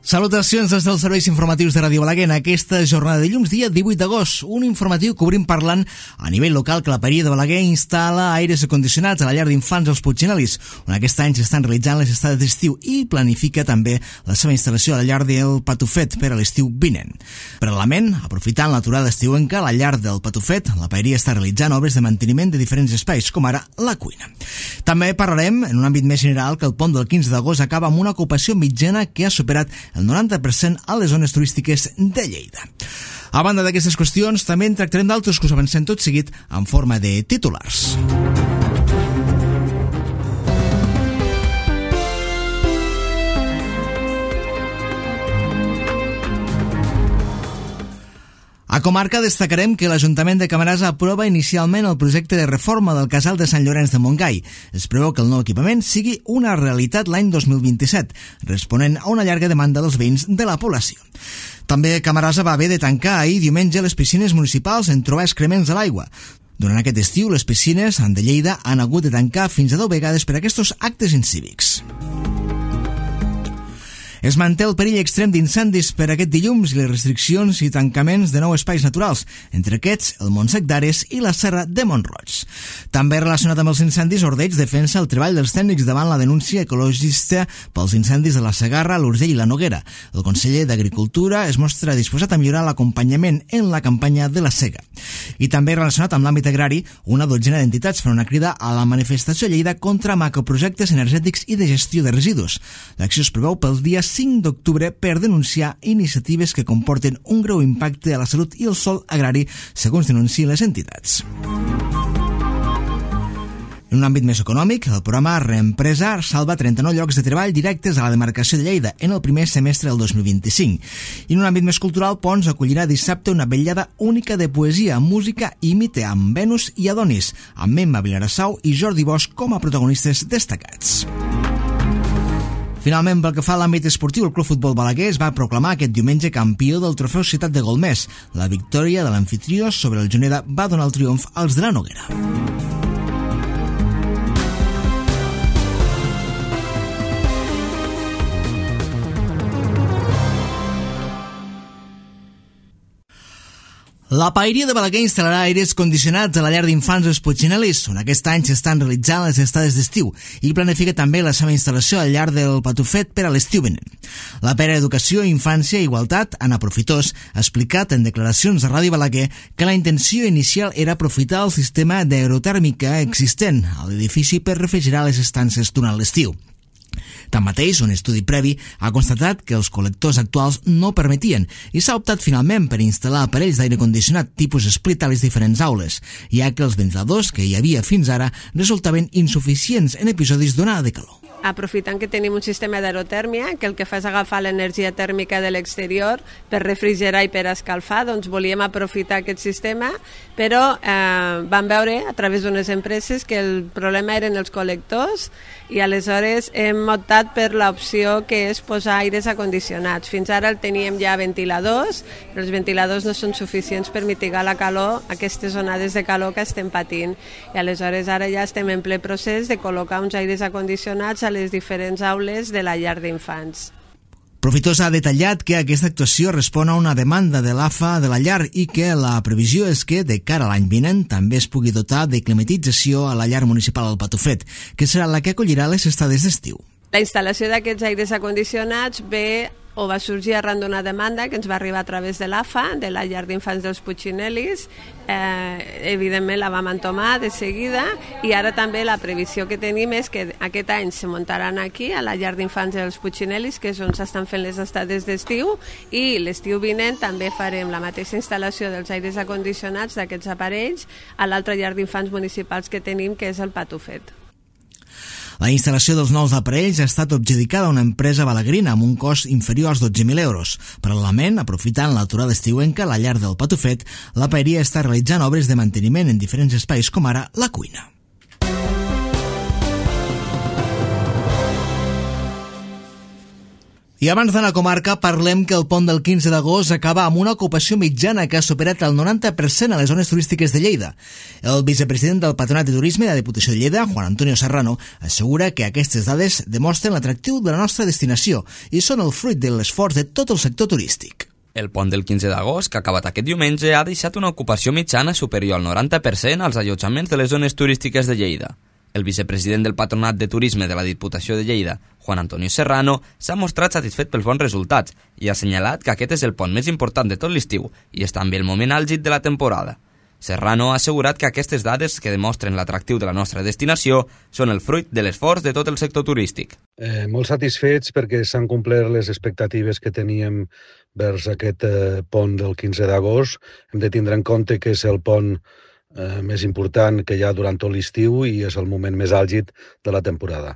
Salutacions des dels serveis informatius de Ràdio Balaguer en aquesta jornada de dilluns, dia 18 d'agost. Un informatiu que obrim parlant a nivell local que la Paeria de Balaguer instal·la aires acondicionats a la llar d'infants dels Puiggenelis, on aquest any s'estan realitzant les estades d'estiu i planifica també la seva instal·lació a la llar del Patufet per a l'estiu vinent. Paral·lelament, aprofitant l'aturada estiuenca, a la llar del Patufet, la Paeria està realitzant obres de manteniment de diferents espais, com ara la cuina. També parlarem, en un àmbit més general, que el pont del 15 d'agost acaba amb una ocupació mitjana que ha superat el 90% a les zones turístiques de Lleida. A banda d'aquestes qüestions, també en tractarem d'altres que us avancem tot seguit en forma de titulars. A comarca destacarem que l'Ajuntament de Camarasa aprova inicialment el projecte de reforma del casal de Sant Llorenç de Montgai. Es preveu que el nou equipament sigui una realitat l'any 2027, responent a una llarga demanda dels veïns de la població. També Camarasa va haver de tancar ahir diumenge les piscines municipals en trobar excrements a l'aigua. Durant aquest estiu, les piscines de Lleida han hagut de tancar fins a 10 vegades per aquests actes incívics. Es manté el perill extrem d'incendis per aquest dilluns i les restriccions i tancaments de 9 espais naturals, entre aquests el Montsec d'Ares i la Serra de Mont-roig. També relacionat amb els incendis, Ordeig defensa el treball dels tècnics davant la denúncia ecologista pels incendis de la Segarra, l'Urgell i la Noguera. El conseller d'Agricultura es mostra disposat a millorar l'acompanyament en la campanya de la sega. I també relacionat amb l'àmbit agrari, una dotzena d'entitats fan una crida a la manifestació a Lleida contra macroprojectes energètics i de gestió de residus. L'acció es preveu pel dia 5 d'octubre per denunciar iniciatives que comporten un greu impacte a la salut i el sòl agrari, segons denuncien les entitats. En un àmbit més econòmic, el programa Reempresa salva 39 llocs de treball directes a la demarcació de Lleida en el primer semestre del 2025. I en un àmbit més cultural, Pons acollirà dissabte una vetllada única de poesia, música i mite amb Venus i Adonis, amb Emma Vilarassau i Jordi Bosch com a protagonistes destacats. Finalment, pel que fa a l'àmbit esportiu, el Club Futbol Balaguer es va proclamar aquest diumenge campió del trofeu Ciutat de Golmés. La victòria de l'amfitrió sobre el Juneda va donar el triomf als de la Noguera. La Paeria de Balaguer instal·larà aires condicionats a la llar d'infants dels Puiggenelis, on aquest any s'estan realitzant les estades d'estiu, i planifica també la seva instal·lació a la llar del Patufet per a l'estiu vinent. La Pere Educació, Infància i Igualtat, Anna Profitós, ha explicat en declaracions a Ràdio Balaguer que la intenció inicial era aprofitar el sistema d'aerotèrmica existent a l'edifici per refrigerar les estances durant l'estiu. Tanmateix, un estudi previ ha constatat que els col·lectors actuals no permetien i s'ha optat finalment per instal·lar aparells d'aire condicionat tipus split a les diferents aules, ja que els ventiladors que hi havia fins ara resultaven insuficients en episodis d'onada de calor. Aprofitant que tenim un sistema d'aerotèrmia que el que fa és agafar l'energia tèrmica de l'exterior per refrigerar i per escalfar, doncs volíem aprofitar aquest sistema, però vam veure a través d'unes empreses que el problema eren els col·lectors i aleshores hem optat per l'opció que és posar aires acondicionats. Fins ara el teníem ja ventiladors, però els ventiladors no són suficients per mitigar la calor, aquestes onades de calor que estem patint. I aleshores ara ja estem en ple procés de col·locar uns aires acondicionats a les diferents aules de la llar d'infants. Profitós ha detallat que aquesta actuació respon a una demanda de l'AFA de la llar i que la previsió és que, de cara a l'any vinent, també es pugui dotar de climatització a la llar municipal del Patufet, que serà la que acollirà les estades d'estiu. La instal·lació d'aquests aires acondicionats va sorgir arran d'una demanda que ens va arribar a través de l'AFA, de la llar d'infants dels Puiggenelis. Evidentment la vam entomar de seguida i ara també la previsió que tenim és que aquest any se muntaran aquí a la llar d'infants dels Puiggenelis, que és on s'estan fent les estades d'estiu, i l'estiu vinent també farem la mateixa instal·lació dels aires acondicionats d'aquests aparells a l'altra llar d'infants municipals que tenim, que és el Patufet. La instal·lació dels nous aparells ha estat adjudicada a una empresa balaguerina amb un cost inferior als 12.000 euros. Paral·lelament, aprofitant l'aturada estiuenca a la llar del Patufet, la Paeria està realitzant obres de manteniment en diferents espais com ara la cuina. I abans d'anar a comarca, parlem que el pont del 15 d'agost acaba amb una ocupació mitjana que ha superat el 90% a les zones turístiques de Lleida. El vicepresident del Patronat de Turisme de la Diputació de Lleida, Juan Antonio Serrano, assegura que aquestes dades demostren l'atractiu de la nostra destinació i són el fruit de l'esforç de tot el sector turístic. El pont del 15 d'agost, que ha acabat aquest diumenge, ha deixat una ocupació mitjana superior al 90% als allotjaments de les zones turístiques de Lleida. El vicepresident del Patronat de Turisme de la Diputació de Lleida, Juan Antonio Serrano, s'ha mostrat satisfet pels bons resultats i ha assenyalat que aquest és el pont més important de tot l'estiu i és també el moment àlgid de la temporada. Serrano ha assegurat que aquestes dades que demostren l'atractiu de la nostra destinació són el fruit de l'esforç de tot el sector turístic. Molt satisfets perquè s'han complert les expectatives que teníem vers aquest pont del 15 d'agost. Hem de tindre en compte que és el pont més important que hi ha durant tot l'estiu i és el moment més àlgid de la temporada.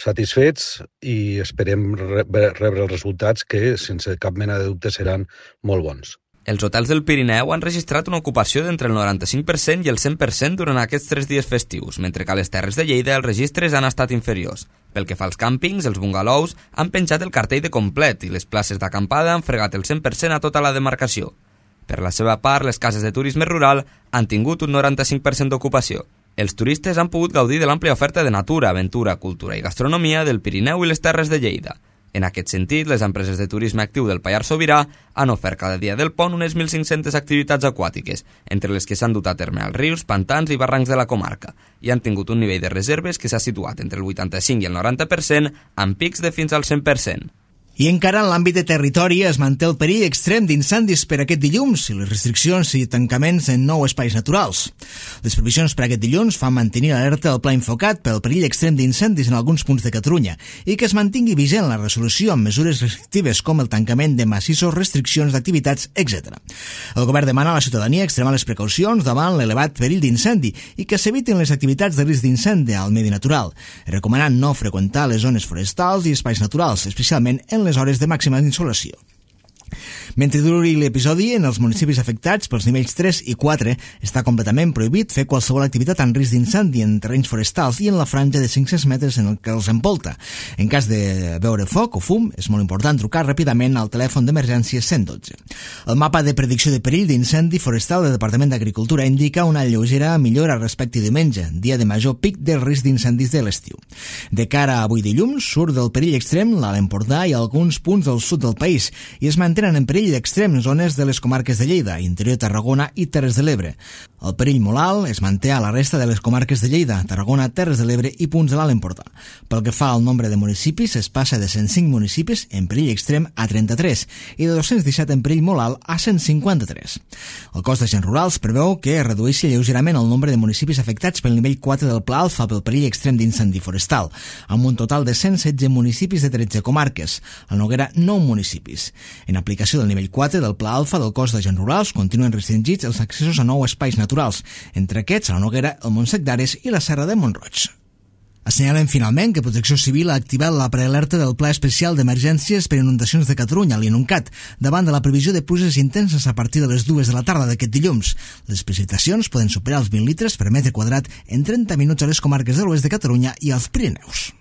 Satisfets i esperem rebre els resultats que, sense cap mena de dubte, seran molt bons. Els hotels del Pirineu han registrat una ocupació d'entre el 95% i el 100% durant aquests 3 dies festius, mentre que a les Terres de Lleida els registres han estat inferiors. Pel que fa als càmpings, els bungalous han penjat el cartell de complet i les places d'acampada han fregat el 100% a tota la demarcació. Per la seva part, les cases de turisme rural han tingut un 95% d'ocupació. Els turistes han pogut gaudir de l'àmplia oferta de natura, aventura, cultura i gastronomia del Pirineu i les Terres de Lleida. En aquest sentit, les empreses de turisme actiu del Pallars Sobirà han ofert cada dia del pont unes 1.500 activitats aquàtiques, entre les que s'han dut a terme als rius, pantans i barrancs de la comarca, i han tingut un nivell de reserves que s'ha situat entre el 85 i el 90%, amb pics de fins al 100%. I encara en l'àmbit de territori es manté el perill extrem d'incendis per aquest dilluns i les restriccions i tancaments en 9 espais naturals. Les previsions per aquest dilluns fan mantenir l'alerta del pla Infocat pel perill extrem d'incendis en alguns punts de Catalunya i que es mantingui vigent la resolució amb mesures restrictives com el tancament de massissos, restriccions d'activitats, etc. El govern demana a la ciutadania extremar les precaucions davant l'elevat perill d'incendi i que s'evitin les activitats de risc d'incendi al medi natural, recomanant no freqüentar les zones forestals i espais naturals, especialment en les hores de màxima insolació. Mentre duri l'episodi, en els municipis afectats pels nivells 3 i 4 està completament prohibit fer qualsevol activitat en risc d'incendi en terrenys forestals i en la franja de 500 metres en el que els envolta. En cas de veure foc o fum, és molt important trucar ràpidament al telèfon d'emergència 112. El mapa de predicció de perill d'incendi forestal del Departament d'Agricultura indica una lleugera millora respecte a diumenge, dia de major pic del risc d'incendis de l'estiu. De cara a avui dilluns, surt del perill extrem l'Alt Empordà i alguns punts del sud del país i es mantenen en perill d'extrem zones de les comarques de Lleida, interior Tarragona i Terres de l'Ebre. El perill molt alt es manté a la resta de les comarques de Lleida, Tarragona, Terres de l'Ebre i punts de l'Alt Empordà. Pel que fa al nombre de municipis, es passa de 105 municipis en perill extrem a 33 i de 217 en perill molt alt a 153. El cos d'agents rurals preveu que es redueixi lleugerament el nombre de municipis afectats pel nivell 4 del Pla Alfa pel perill extrem d'incendi forestal, amb un total de 116 municipis de 13 comarques, a Noguera 9 municipis. En aplicació del nivell 4 del Pla Alfa del cos d'agents rurals continuen restringits els accessos a 9 espais naturals, entre aquests a la Noguera, el Montsec d'Ares i la Serra de Montroig. Assenyalen finalment que Protecció Civil ha activat la prealerta del Pla Especial d'Emergències per Inundacions de Catalunya, l'INUNCAT, davant de la previsió de pluges intenses a partir de les 2 de la tarda d'aquest dilluns. Les precipitacions poden superar els 20 litres per metre quadrat en 30 minuts a les comarques de l'oest de Catalunya i als Pirineus.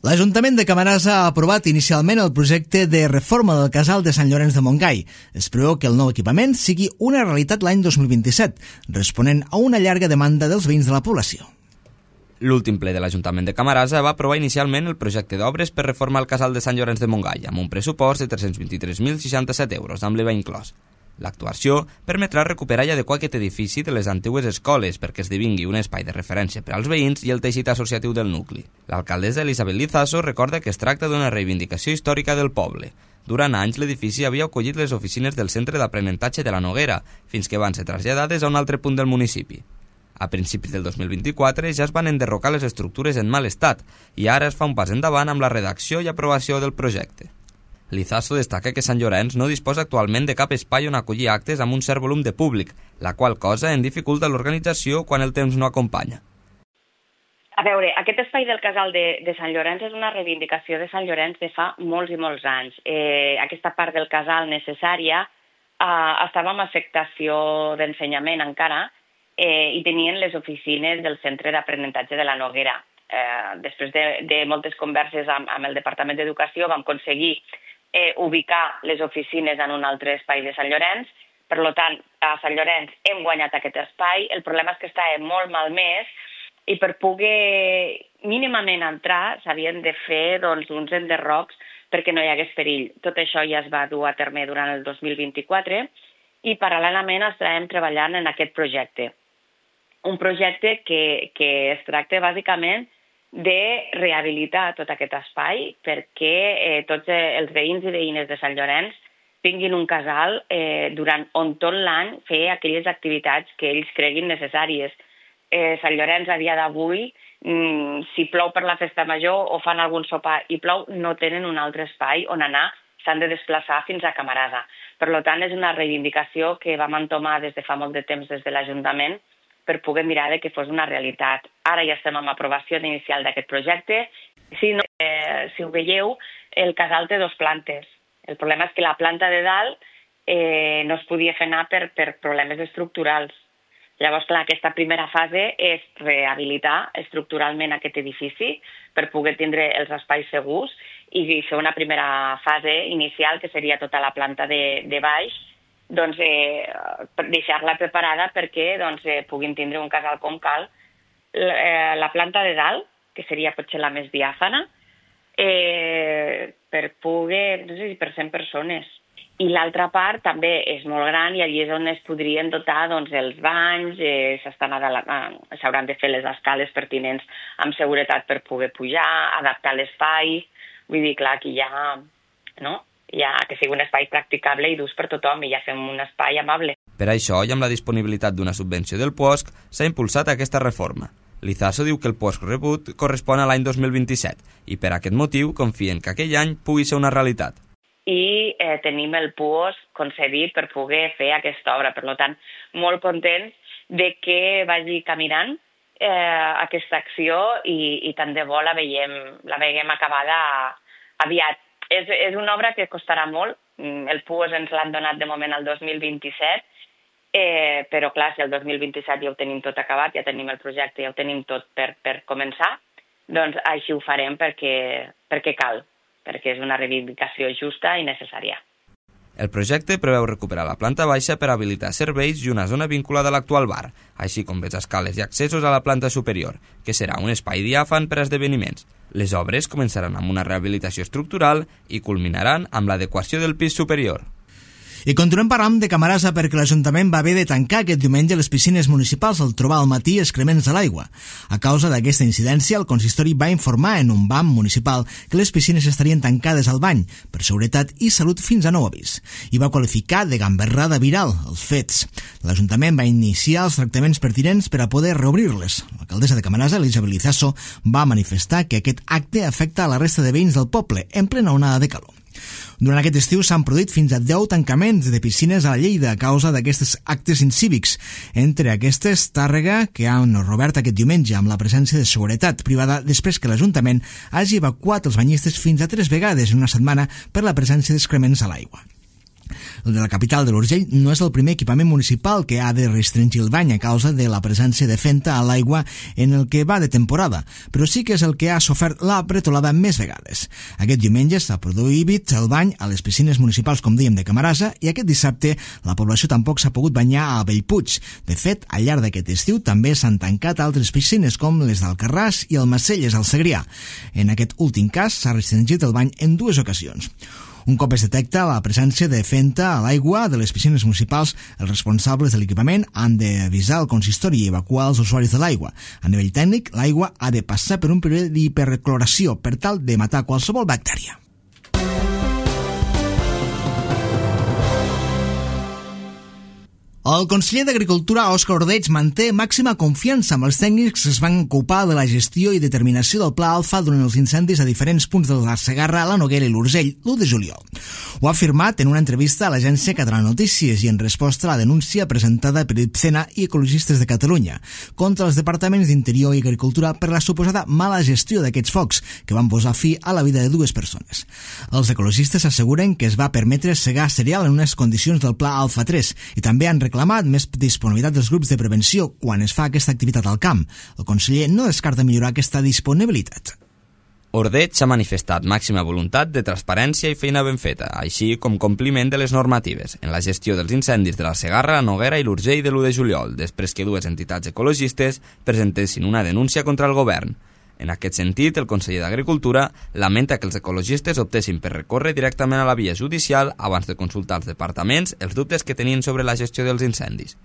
L'Ajuntament de Camarasa ha aprovat inicialment el projecte de reforma del casal de Sant Llorenç de Montgai. Es preveu que el nou equipament sigui una realitat l'any 2027, responent a una llarga demanda dels veïns de la població. L'últim ple de l'Ajuntament de Camarasa va aprovar inicialment el projecte d'obres per reformar el casal de Sant Llorenç de Montgai, amb un pressupost de 323.067 euros, amb l'IVA inclòs. L'actuació permetrà recuperar i adequar aquest edifici de les antigues escoles perquè esdevingui un espai de referència per als veïns i el teixit associatiu del nucli. L'alcaldessa Elisabet Lizaso recorda que es tracta d'una reivindicació històrica del poble. Durant anys l'edifici havia acollit les oficines del Centre d'Aprenentatge de la Noguera, fins que van ser traslladades a un altre punt del municipi. A principis del 2024 ja es van enderrocar les estructures en mal estat i ara es fa un pas endavant amb la redacció i aprovació del projecte. Lizaso destaca que Sant Llorenç no disposa actualment de cap espai on acollir actes amb un cert volum de públic, la qual cosa en dificulta l'organització quan el temps no acompanya. A veure, aquest espai del casal de Sant Llorenç és una reivindicació de Sant Llorenç de fa molts i molts anys. Aquesta part del casal necessària estava amb afectació d'ensenyament encara i tenien les oficines del Centre d'Aprenentatge de la Noguera. Després de moltes converses amb el Departament d'Educació vam aconseguir ubicar les oficines en un altre espai de Sant Llorenç. Per tant, a Sant Llorenç hem guanyat aquest espai. El problema és que estava molt malmès i per poder mínimament entrar s'havien de fer uns enderrocs perquè no hi hagués perill. Tot això ja es va dur a terme durant el 2024 i paral·lelament estàvem treballant en aquest projecte. Un projecte que es tracta bàsicament de rehabilitar tot aquest espai perquè tots els veïns i veïnes de Sant Llorenç tinguin un casal on tot l'any fer aquelles activitats que ells creguin necessàries. Sant Llorenç a dia d'avui, si plou per la festa major o fan algun sopar i plou, no tenen un altre espai on anar, s'han de desplaçar fins a Camarasa. Per tant, és una reivindicació que vam entomar des de fa molt de temps des de l'Ajuntament per poder mirar que fos una realitat. Ara ja estem en aprovació inicial d'aquest projecte. Si ho veieu, el casal té 2 plantes. El problema és que la planta de dalt no es podia fer anar per problemes estructurals. Llavors, clar, aquesta primera fase és rehabilitar estructuralment aquest edifici per poder tindre els espais segurs i fer una primera fase inicial, que seria tota la planta de baix, deixar-la preparada perquè puguin tindre un casal com cal. La planta de dalt, que seria potser la més diàfana, per poder, no sé si per 100 persones. I l'altra part també és molt gran i allí és on es podrien dotar els banys, s'hauran de fer les escales pertinents amb seguretat per poder pujar, adaptar l'espai. Vull dir, clar, aquí que sigui un espai practicable i d'ús per tothom i ja fem un espai amable. Per això, i amb la disponibilitat d'una subvenció del POSC, s'ha impulsat aquesta reforma. L'Izaso diu que el POSC rebut correspon a l'any 2027 i per aquest motiu confien que aquell any pugui ser una realitat. I tenim el POSC concedit per poder fer aquesta obra. Per tant, molt contents de que vagi caminant aquesta acció i tant de bo la veiem acabada aviat. És una obra que costarà molt. El POSC ens l'han donat de moment el 2027, però clar, si el 2027 ja ho tenim tot acabat, ja tenim el projecte, ja ho tenim tot per començar, doncs així ho farem perquè cal, perquè és una reivindicació justa i necessària. El projecte preveu recuperar la planta baixa per habilitar serveis i una zona vinculada a l'actual bar, així com les escales i accessos a la planta superior, que serà un espai diàfan per a esdeveniments. Les obres començaran amb una rehabilitació estructural i culminaran amb l'adequació del pis superior. I continuem parlant de Camarasa perquè l'Ajuntament va haver de tancar aquest diumenge les piscines municipals al trobar al matí excrements a l'aigua. A causa d'aquesta incidència, el consistori va informar en un BAM municipal que les piscines estarien tancades al bany per seguretat i salut fins a nou avís i va qualificar de gamberrada viral els fets. L'Ajuntament va iniciar els tractaments pertinents per a poder reobrir-les. L'alcaldessa de Camarasa, Elisabet Lizaso, va manifestar que aquest acte afecta a la resta de veïns del poble en plena onada de calor. Durant aquest estiu s'han produït fins a 10 tancaments de piscines a la Lleida a causa d'aquests actes incívics. Entre aquestes, Tàrrega, que han reobert aquest diumenge amb la presència de seguretat privada després que l'Ajuntament hagi evacuat els banyistes fins a 3 vegades en una setmana per la presència d'excrements a l'aigua. El de la capital de l'Urgell no és el primer equipament municipal que ha de restringir el bany a causa de la presència de fenta a l'aigua en el que va de temporada, però sí que és el que ha sofert la bretolada més vegades. Aquest diumenge s'ha prohibit el bany a les piscines municipals, com dèiem, de Camarasa, i aquest dissabte la població tampoc s'ha pogut banyar a Bellpuig. De fet, al llarg d'aquest estiu també s'han tancat altres piscines, com les d'Alcarràs i el Macelles, al Segrià. En aquest últim cas s'ha restringit el bany en 2 ocasions. Un cop es detecta la presència de fenta a l'aigua de les piscines municipals, els responsables de l'equipament han d'avisar el consistori i evacuar els usuaris de l'aigua. A nivell tècnic, l'aigua ha de passar per un període d'hipercloració per tal de matar qualsevol bactèria. El conseller d'Agricultura, Òscar Ordeig, manté màxima confiança amb els tècnics que es van ocupar de la gestió i determinació del Pla Alfa durant els incendis a diferents punts de la Segarra, la Noguera i l'Urgell, l'1 de juliol. Ho ha afirmat en una entrevista a l'agència Catalana Notícies i en resposta a la denúncia presentada per IPCENA i Ecologistes de Catalunya contra els departaments d'Interior i Agricultura per la suposada mala gestió d'aquests focs que van posar fi a la vida de 2 persones. Els ecologistes asseguren que es va permetre segar cereal en unes condicions del Pla Alfa 3 i també han reclamat reclamat més disponibilitat dels grups de prevenció quan es fa aquesta activitat al camp. El conseller no descarta millorar aquesta disponibilitat. Ordeig s'ha manifestat màxima voluntat de transparència i feina ben feta, així com compliment de les normatives en la gestió dels incendis de la Segarra, la Noguera i l'Urgell de l'1 de juliol, després que dues entitats ecologistes presentessin una denúncia contra el govern. En aquest sentit, el conseller d'Agricultura lamenta que els ecologistes optessin per recórrer directament a la via judicial abans de consultar als departaments els dubtes que tenien sobre la gestió dels incendis.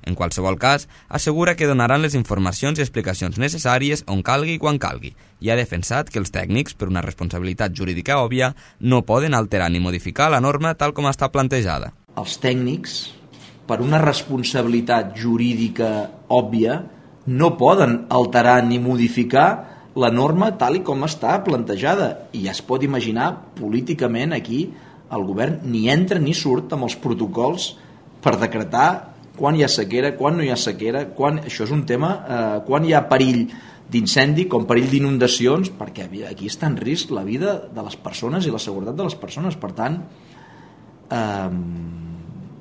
En qualsevol cas, assegura que donaran les informacions i explicacions necessàries on calgui i quan calgui, i ha defensat que els tècnics, per una responsabilitat jurídica òbvia, no poden alterar ni modificar la norma tal com està plantejada. Els tècnics, per una responsabilitat jurídica òbvia, no poden alterar ni modificar la norma tal i com està plantejada. I ja es pot imaginar, políticament, aquí, el govern ni entra ni surt amb els protocols per decretar quan hi ha sequera, quan no hi ha sequera, això és un tema, quan hi ha perill d'incendi, com perill d'inundacions, perquè aquí està en risc la vida de les persones i la seguretat de les persones. Per tant,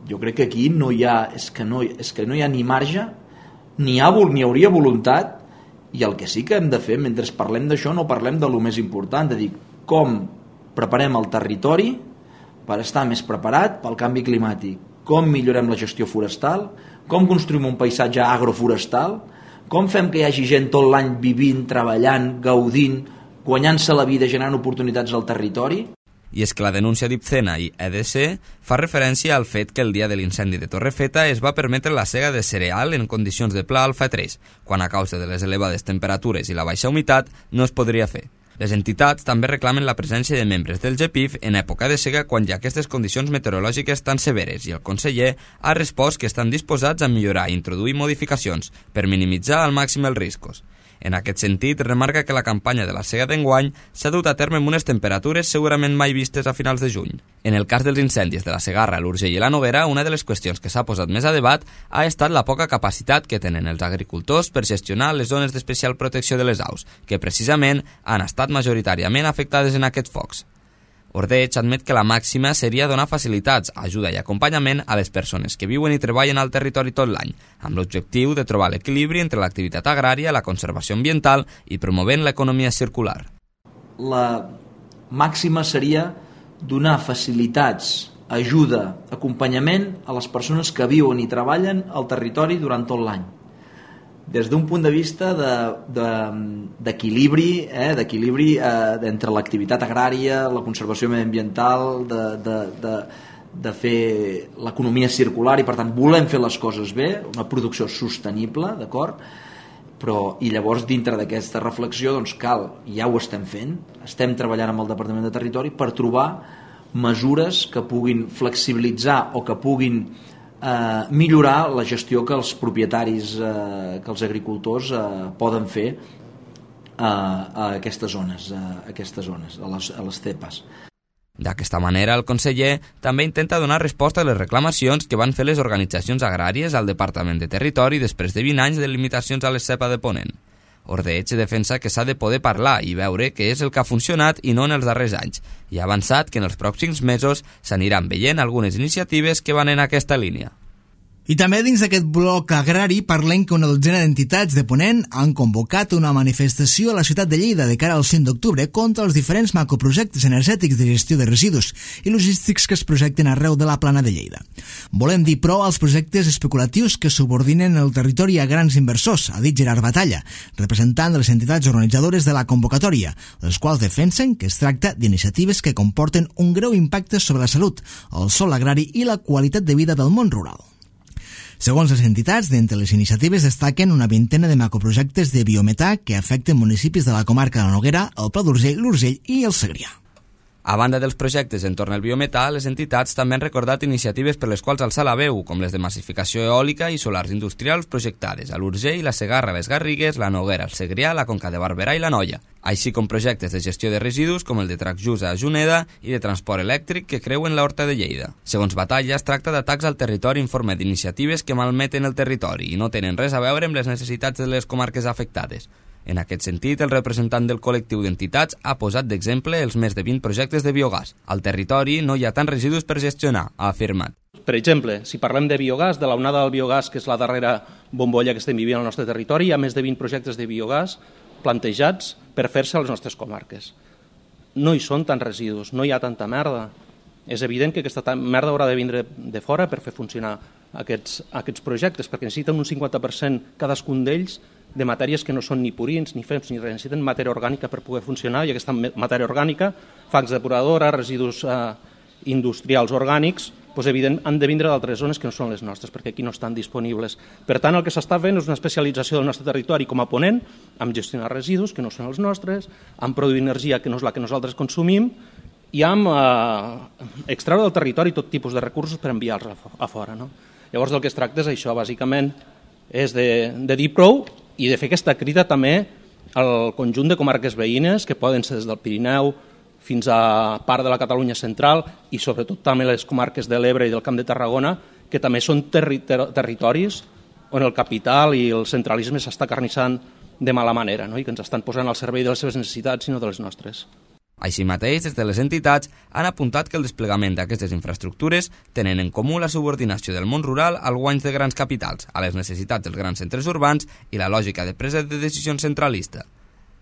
jo crec que aquí no hi ha, és que no hi ha ni marge, ni hauria voluntat, i el que sí que hem de fer, mentre parlem d'això, no parlem de lo més important, de dir com preparem el territori per estar més preparat pel canvi climàtic, com millorem la gestió forestal, com construïm un paisatge agroforestal, com fem que hi hagi gent tot l'any vivint, treballant, gaudint, guanyant-se la vida, generant oportunitats al territori. I és que la denúncia d'Ipcena i EDC fa referència al fet que el dia de l'incendi de Torrefeta es va permetre la sega de cereal en condicions de pla alfa 3, quan a causa de les elevades temperatures i la baixa humitat no es podria fer. Les entitats també reclamen la presència de membres del GEPIF en època de sega quan hi ha aquestes condicions meteorològiques tan severes, i el conseller ha respost que estan disposats a millorar i introduir modificacions per minimitzar al màxim els riscos. En aquest sentit, remarca que la campanya de la sega d'enguany s'ha dut a terme amb unes temperatures segurament mai vistes a finals de juny. En el cas dels incendis de la Segarra, l'Urgell i la Noguera, una de les qüestions que s'ha posat més a debat ha estat la poca capacitat que tenen els agricultors per gestionar les zones d'especial protecció de les aus, que precisament han estat majoritàriament afectades en aquests focs. Ordeig admet que la màxima seria donar facilitats, ajuda i acompanyament a les persones que viuen i treballen al territori tot l'any, amb l'objectiu de trobar l'equilibri entre l'activitat agrària, la conservació ambiental i promovent l'economia circular. La màxima seria donar facilitats, ajuda, acompanyament a les persones que viuen i treballen al territori durant tot l'any. Des d'un punt de vista d'equilibri, entre l'activitat agrària, la conservació mediambiental, de fer l'economia circular, i per tant volem fer les coses bé, una producció sostenible, d'acord? Però, i llavors dintre d'aquesta reflexió doncs cal, i ja ho estem fent, estem treballant amb el Departament de Territori per trobar mesures que puguin flexibilitzar o que puguin millorar la gestió que els propietaris, que els agricultors poden fer a aquestes zones, a les CEPAs. D'aquesta manera, el conseller també intenta donar resposta a les reclamacions que van fer les organitzacions agràries al Departament de Territori després de 20 anys de limitacions a les CEPA de Ponent. Ordeig defensa que s'ha de poder parlar i veure què és el que ha funcionat i no en els darrers anys, i ha avançat que en els pròxims mesos s'aniran veient algunes iniciatives que van en aquesta línia. I també dins d'aquest bloc agrari parlem que una dotzena d'entitats de Ponent han convocat una manifestació a la ciutat de Lleida de cara al 5 d'octubre contra els diferents macroprojectes energètics de gestió de residus i logístics que es projecten arreu de la plana de Lleida. Volem dir prou als projectes especulatius que subordinen el territori a grans inversors, ha dit Gerard Batalla, representant de les entitats organitzadores de la convocatòria, els quals defensen que es tracta d'iniciatives que comporten un greu impacte sobre la salut, el sòl agrari i la qualitat de vida del món rural. Segons les entitats, d'entre les iniciatives destaquen una vintena de macroprojectes de biometà que afecten municipis de la comarca de la Noguera, el Pla d'Urgell, l'Urgell i el Segrià. A banda dels projectes entorn al biometà, les entitats també han recordat iniciatives per les quals alçar la veu, com les de massificació eòlica i solars industrials projectades a l'Urgell, la Segarra, les Garrigues, la Noguera, el Segrià, la Conca de Barberà i la Noia, així com projectes de gestió de residus com el de Tracjusa a Juneda i de transport elèctric que creuen l'Horta de Lleida. Segons Batalla, es tracta d'atacs al territori en forma d'iniciatives que malmeten el territori i no tenen res a veure amb les necessitats de les comarques afectades. En aquest sentit, el representant del col·lectiu d'entitats ha posat d'exemple els més de 20 projectes de biogàs. Al territori no hi ha tants residus per gestionar, ha afirmat. per exemple, si parlem de biogàs, de l'onada del biogàs, que és la darrera bombolla que estem vivint al nostre territori, hi ha més de 20 projectes de biogàs plantejats per fer-se a les nostres comarques. No hi són tants residus, no hi ha tanta merda. És evident que aquesta merda haurà de vindre de fora per fer funcionar aquests projectes, perquè necessiten un 50% cadascun d'ells de matèries que no són ni purins, ni fems, ni res. Necessiten matèria orgànica per poder funcionar, i aquesta matèria orgànica, fangs depuradora, residus industrials orgànics, doncs, evident, han de vindre d'altres zones que no són les nostres, perquè aquí no estan disponibles. Per tant, el que s'està fent és una especialització del nostre territori com a ponent, amb gestionar residus que no són els nostres, amb produir energia que no és la que nosaltres consumim, i amb extreure del territori tot tipus de recursos per enviar-los a fora. No? Llavors, del que es tracta és això, bàsicament, és de dir prou i de fer aquesta crida també al conjunt de comarques veïnes, que poden ser des del Pirineu fins a part de la Catalunya central, i sobretot també les comarques de l'Ebre i del Camp de Tarragona, que també són territoris on el capital i el centralisme s'està carnissant de mala manera, no? I que ens estan posant al servei de les seves necessitats i no de les nostres. Així mateix, des de les entitats han apuntat que el desplegament d'aquestes infraestructures tenen en comú la subordinació del món rural als guanys de grans capitals, a les necessitats dels grans centres urbans i la lògica de presa de decisions centralista.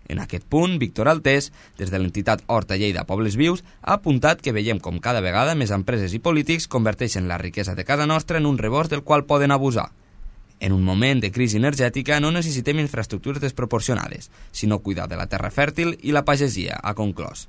En aquest punt, Víctor Altés, des de l'entitat Horta Lleida Pobles Vius, ha apuntat que veiem com cada vegada més empreses i polítics converteixen la riquesa de casa nostra en un rebost del qual poden abusar. En un moment de crisi energètica no necessitem infraestructures desproporcionades, sinó cuidar de la terra fèrtil i la pagesia, ha conclòs.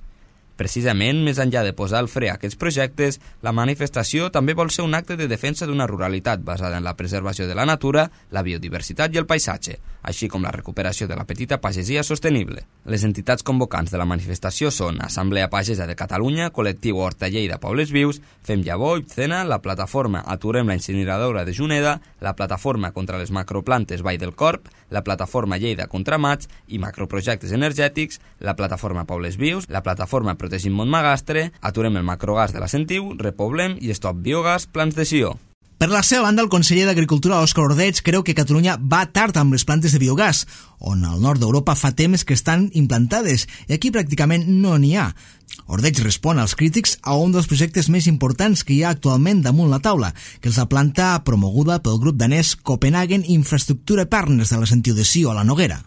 Precisament, més enllà de posar el fre a aquests projectes, la manifestació també vol ser un acte de defensa d'una ruralitat basada en la preservació de la natura, la biodiversitat i el paisatge, així com la recuperació de la petita pagesia sostenible. Les entitats convocants de la manifestació són Assemblea Pagesa de Catalunya, Col·lectiu Horta Lleida Pobles Vius, Fem Llavor, Ibcena, la plataforma Aturem la incineradora de Juneda, la plataforma contra les macroplantes Vall del Corp, la plataforma Lleida contra Mats i macroprojectes energètics, la plataforma Pobles Vius, la plataforma Protegim Montmagastre, Aturem el macrogas de la Sentiu, Repoblem i Stop Biogas Plans de Sió. Per la seva banda, el conseller d'Agricultura, Òscar Ordeig, creu que Catalunya va tard amb les plantes de biogàs, on al nord d'Europa fa temps que estan implantades i aquí pràcticament no n'hi ha. Ordeig respon als crítics a un dels projectes més importants que hi ha actualment damunt la taula, que és la planta promoguda pel grup danès Copenhagen Infrastructure Partners de la Sentiu de Sió a la Noguera.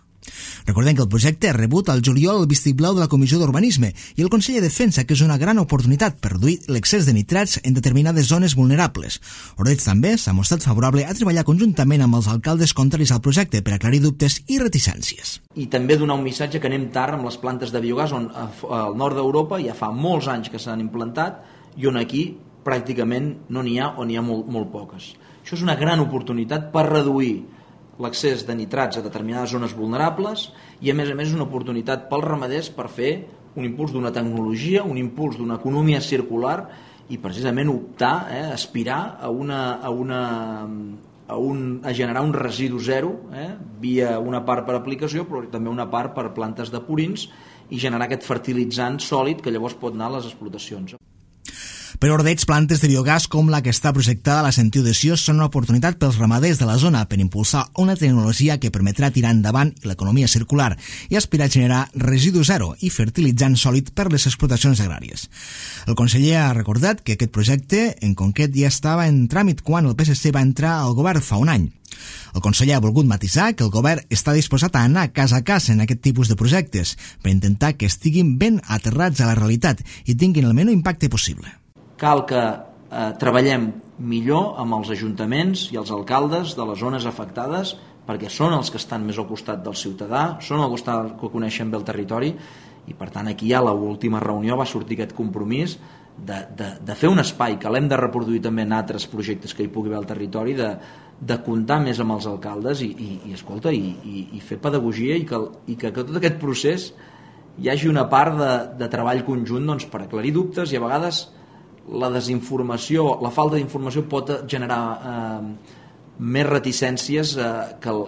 Recordem que el projecte ha rebut al juliol el vistiplau de la Comissió d'Urbanisme i el conseller defensa que és una gran oportunitat per reduir l'excés de nitrats en determinades zones vulnerables. Ordeig també s'ha mostrat favorable a treballar conjuntament amb els alcaldes contraris al projecte per aclarir dubtes i reticències. I també donar un missatge que anem tard amb les plantes de biogàs, on al nord d'Europa ja fa molts anys que s'han implantat i on aquí pràcticament no n'hi ha o n'hi ha molt poques. Això és una gran oportunitat per reduir l'accés de nitrats a determinades zones vulnerables i a més és una oportunitat pels ramaders per fer un impuls d'una tecnologia, un impuls d'una economia circular i precisament optar, aspirar a generar un residu zero, via una part per aplicació però també una part per plantes de purins i generar aquest fertilitzant sòlid que llavors pot anar a les explotacions. Per Ordeig, plantes de biogàs com la que està projectada a la Sentiu de Sió són una oportunitat pels ramaders de la zona per impulsar una tecnologia que permetrà tirar endavant l'economia circular i aspirar a generar residu zero i fertilitzant sòlid per les explotacions agràries. El conseller ha recordat que aquest projecte en concret ja estava en tràmit quan el PSC va entrar al govern fa un any. El conseller ha volgut matisar que el govern està disposat a anar casa a casa en aquest tipus de projectes per intentar que estiguin ben aterrats a la realitat i tinguin el menor impacte possible. Cal que treballem millor amb els ajuntaments i els alcaldes de les zones afectades perquè són els que estan més al costat del ciutadà, són els que coneixen bé el territori i per tant aquí ja a l'última reunió va sortir aquest compromís de fer un espai que l'hem de reproduir també en altres projectes que hi pugui haver al territori, de comptar més amb els alcaldes escolta, i fer pedagogia i que tot aquest procés hi hagi una part de treball conjunt doncs, per aclarir dubtes i a vegades la desinformació, la falta d'informació pot generar més reticències que el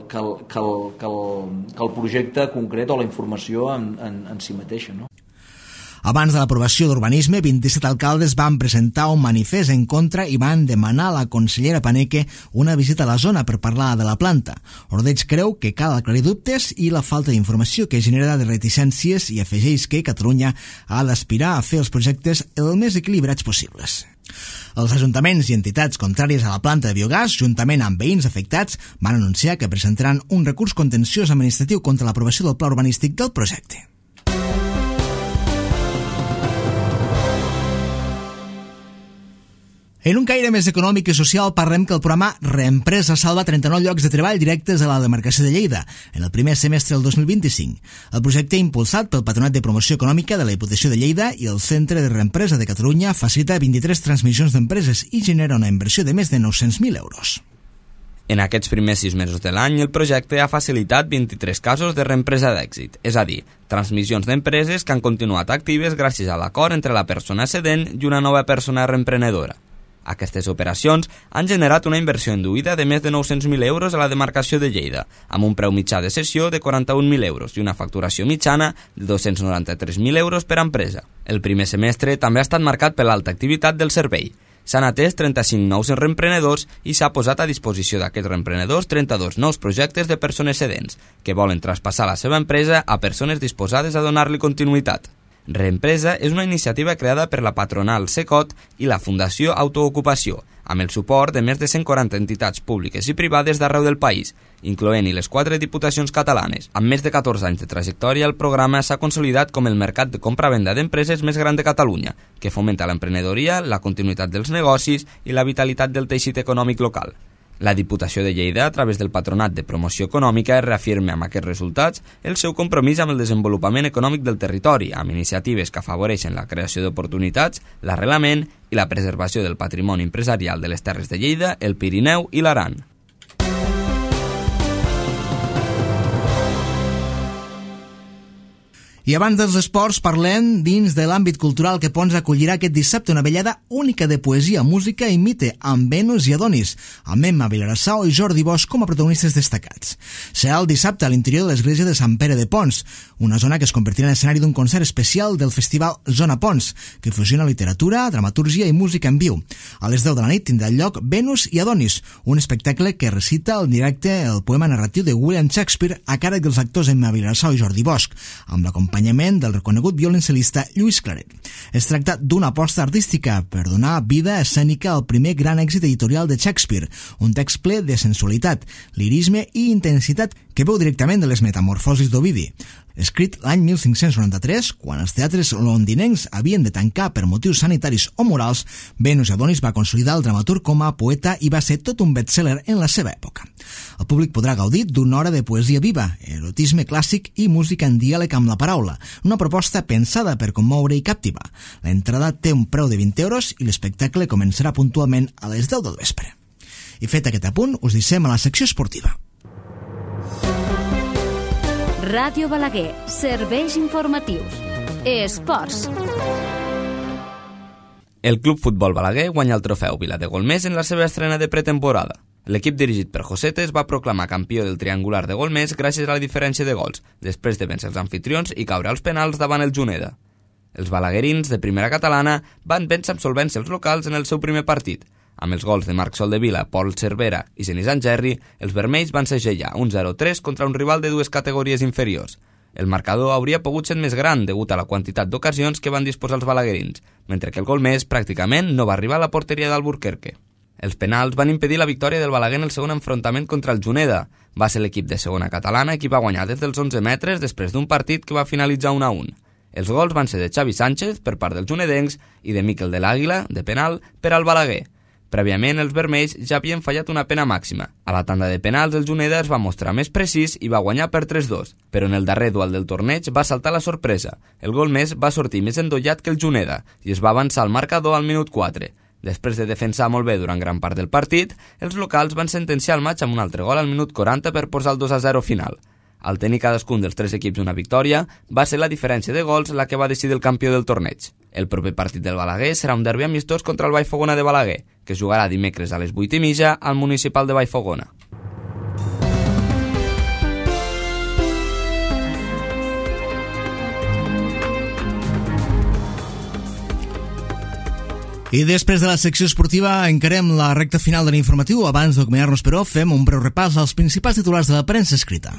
projecte concret o la informació en si mateixa, no? Abans de l'aprovació d'urbanisme, 27 alcaldes van presentar un manifest en contra i van demanar a la consellera Paneque una visita a la zona per parlar de la planta. Ordeig creu que cal aclarir dubtes i la falta d'informació que genera de reticències i afegeix que Catalunya ha d'aspirar a fer els projectes el més equilibrats possibles. Els ajuntaments i entitats contràries a la planta de biogàs, juntament amb veïns afectats, van anunciar que presentaran un recurs contenciós administratiu contra l'aprovació del pla urbanístic del projecte. En un caire més econòmic i social parlem que el programa Reempresa salva 39 llocs de treball directes a la demarcació de Lleida en el primer semestre del 2025. El projecte impulsat pel Patronat de Promoció Econòmica de la Diputació de Lleida i el Centre de Reempresa de Catalunya facilita 23 transmissions d'empreses i genera una inversió de més de 900.000 euros. En aquests primers 6 mesos de l'any, el projecte ha facilitat 23 casos de reempresa d'èxit, és a dir, transmissions d'empreses que han continuat actives gràcies a l'acord entre la persona cedent i una nova persona reemprenedora. Aquestes operacions han generat una inversió induïda de més de 900.000 euros a la demarcació de Lleida, amb un preu mitjà de cessió de 41.000 euros i una facturació mitjana de 293.000 euros per empresa. El primer semestre també ha estat marcat per l'alta activitat del servei. S'han atès 35 nous reemprenedors i s'ha posat a disposició d'aquests reemprenedors 32 nous projectes de persones cedents, que volen traspassar la seva empresa a persones disposades a donar-li continuïtat. Reempresa és una iniciativa creada per la patronal Secot i la Fundació Autoocupació, amb el suport de més de 140 entitats públiques i privades d'arreu del país, incloent-hi les 4 diputacions catalanes. Amb més de 14 anys de trajectòria, el programa s'ha consolidat com el mercat de compra-venda d'empreses més gran de Catalunya, que fomenta l'emprenedoria, la continuïtat dels negocis i la vitalitat del teixit econòmic local. La Diputació de Lleida, a través del Patronat de Promoció Econòmica, reafirma amb aquests resultats el seu compromís amb el desenvolupament econòmic del territori, amb iniciatives que afavoreixen la creació d'oportunitats, l'arrelament i la preservació del patrimoni empresarial de les Terres de Lleida, el Pirineu i l'Aran. I abans dels esports parlem dins de l'àmbit cultural que Pons acollirà aquest dissabte una vellada única de poesia, música i mite amb Venus i Adonis, amb Emma Vilarassau i Jordi Bosch com a protagonistes destacats. Serà el dissabte a l'interior de l'església de Sant Pere de Pons, una zona que es convertirà en escenari d'un concert especial del festival Zona Pons, que fusiona literatura, dramatúrgia i música en viu. A les 10 de la nit tindrà lloc Venus i Adonis, un espectacle que recita en directe el poema narratiu de William Shakespeare a càrrec dels actors Emma Vilarassau i Jordi Bosch, amb l'acompanyament del reconegut violoncel·lista Lluís Claret. Es tracta d'una aposta artística per donar vida escènica al primer gran èxit editorial de Shakespeare, un text ple de sensualitat, lirisme i intensitat que veu directament de les metamorfosis d'Ovidi. Escrit l'any 1593, quan els teatres londinencs havien de tancar per motius sanitaris o morals, Venus i Adonis va consolidar el dramaturg com a poeta i va ser tot un best-seller en la seva època. El públic podrà gaudir d'una hora de poesia viva, erotisme clàssic i música en diàleg amb la paraula, una proposta pensada per commoure i captivar. L'entrada té un preu de 20 euros i l'espectacle començarà puntualment a les 10 del vespre. I fet aquest apunt, us deixem a la secció esportiva. Ràdio Balaguer, serveis informatius. Esports. El Club Futbol Balaguer guanya el trofeu Viladegolmés en la seva estrena de pretemporada. L'equip dirigit per Josete es va proclamar campió del triangular de Golmés gràcies a la diferència de gols, després de vèncer els anfitrions i caure als penals davant el Juneda. Els balaguerins de primera catalana van vèncer amb solvència els locals en el seu primer partit. Amb els gols de Marc Soldevila, Pol Cervera i Zenizan Gerri, els vermells van segellar un 0-3 contra un rival de dues categories inferiors. El marcador hauria pogut ser més gran degut a la quantitat d'ocasions que van disposar els balaguerins, mentre que el Golmés pràcticament no va arribar a la porteria d'Alburquerque. Els penals van impedir la victòria del Balaguer en el segon enfrontament contra el Juneda. Va ser l'equip de segona catalana qui va guanyar des dels 11 metres després d'un partit que va finalitzar 1-1. Els gols van ser de Xavi Sánchez per part dels junedencs i de Miquel de l'Àguila, de penal, per al Balaguer. Prèviament, els vermells ja havien fallat una pena màxima. A la tanda de penals, el Juneda es va mostrar més precís i va guanyar per 3-2, però en el darrer duel del torneig va saltar la sorpresa. El Golmés va sortir més endollat que el Juneda i es va avançar al marcador al minut 4. Després de defensar molt bé durant gran part del partit, els locals van sentenciar el matx amb un altre gol al minut 40 per posar el 2-0 final. Al tenir cadascun dels tres equips una victòria, va ser la diferència de gols la que va decidir el campió del torneig. El proper partit del Balaguer serà un derbi amistós contra el Vallfogona de Balaguer, que es jugarà dimecres a les 8:30 al municipal de Vallfogona. I després de la secció esportiva encarem la recta final de l'informatiu. Abans d'acomiadar-nos, però, fem un breu repàs als principals titulars de la premsa escrita.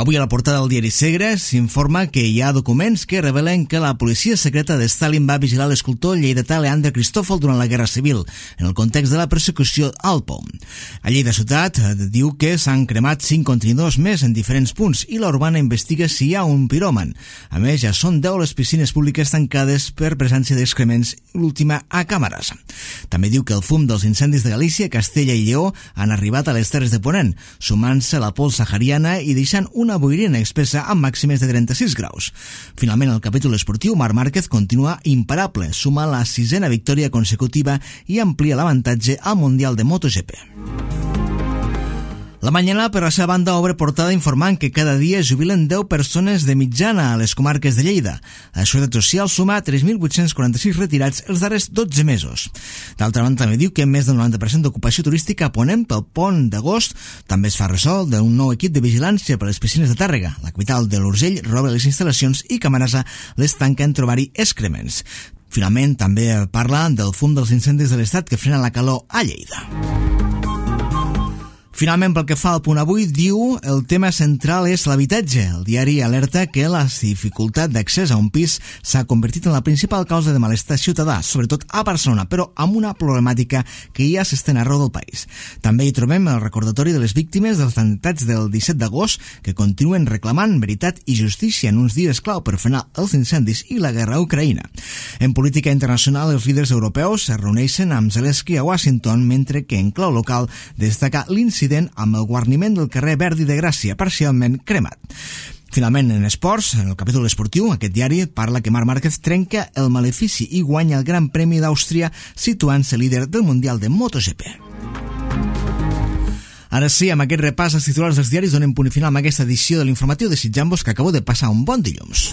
Avui a la portada del diari Segre s'informa que hi ha documents que revelen que la policia secreta de Stalin va vigilar l'escultor lleidatà Leandre Cristòfol durant la Guerra Civil, en el context de la persecució al POM. A Lleida Ciutat diu que s'han cremat 5 contenidors més en diferents punts i la Urbana investiga si hi ha un piròman. A més, ja són 10 les piscines públiques tancades per presència d'excrements, l'última a càmeres. També diu que el fum dels incendis de Galícia, Castella i Lleó han arribat a les Terres de Ponent, sumant-se a la pols sahariana i deixant una boirina espessa amb màximes de 36 graus. Finalment, el capítol esportiu, Marc Márquez continua imparable, suma la 6a victòria consecutiva i amplia l'avantatge al Mundial de MotoGP. La Mañana, per la seva banda, obre portada informant que cada dia jubilen 10 persones de mitjana a les comarques de Lleida. La Seguretat Social suma 3.846 retirats els darrers 12 mesos. D'altra banda, també diu que més del 90% d'ocupació turística a Ponent pel pont d'agost. També es fa ressò d'un nou equip de vigilància per les piscines de Tàrrega. La capital de l'Urgell roba les instal·lacions i Camarasa les tanca en trobar-hi excrements. Finalment, també parla del fum dels incendis de l'Estat que frena la calor a Lleida. Finalment, pel que fa al punt avui, diu el tema central és l'habitatge. El diari alerta que la dificultat d'accés a un pis s'ha convertit en la principal causa de malestar ciutadà, sobretot a Barcelona, però amb una problemàtica que ja s'estén arreu del país. També hi trobem el recordatori de les víctimes dels atemptats del 17 d'agost que continuen reclamant veritat i justícia en uns dies clau per frenar els incendis i la guerra a Ucraïna. En política internacional, els líders europeus es reuneixen amb Zelensky a Washington, mentre que en clau local destaca l'incident amb el guarniment del carrer Verdi de Gràcia, parcialment cremat. Finalment, en esports, en el capítol esportiu, aquest diari parla que Marc Márquez trenca el malefici i guanya el Gran Premi d'Àustria, situant-se líder del Mundial de MotoGP. Ara sí, amb aquest repàs als titulars dels diaris donem punt final amb aquesta edició de l'informatiu, desitjant-vos que acabeu de passar un bon dilluns.